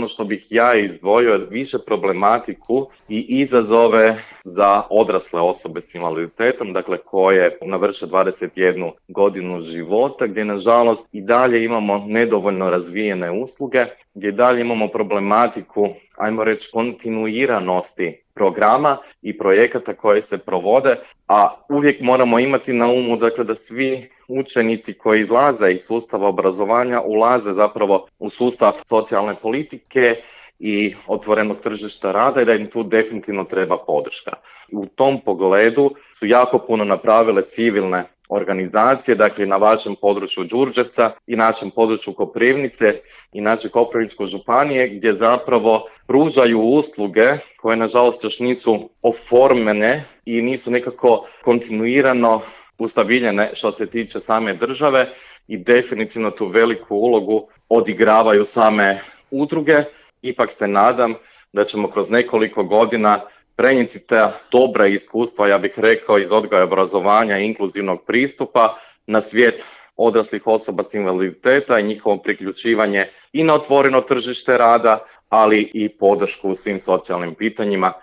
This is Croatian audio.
ono što bih ja izdvojio više problematiku i izazove za odrasle osobe s invaliditetom, dakle koje navrše 21 godinu života, gdje nažalost i dalje imamo nedovoljno razvijene usluge, gdje i dalje imamo problematiku, ajmo reći, kontinuiranosti programa i projekata koji se provode, a uvijek moramo imati na umu, dakle, da svi učenici koji izlaze iz sustava obrazovanja ulaze zapravo u sustav socijalne politike i otvorenog tržišta rada i da im tu definitivno treba podrška. U tom pogledu su jako puno napravile civilne organizacije, dakle na vašem području Đurđevca i našem području Koprivnice i naše Koprivničke županije, gdje zapravo pružaju usluge koje nažalost još nisu oformljene i nisu nekako kontinuirano ustabiljene što se tiče same države i definitivno tu veliku ulogu odigravaju same udruge. Ipak se nadam da ćemo kroz nekoliko godina prenijeti ta dobra iskustva, ja bih rekao, iz odgoja i obrazovanja i inkluzivnog pristupa na svijet odraslih osoba s invaliditeta i njihovo priključivanje i na otvoreno tržište rada, ali i podršku u svim socijalnim pitanjima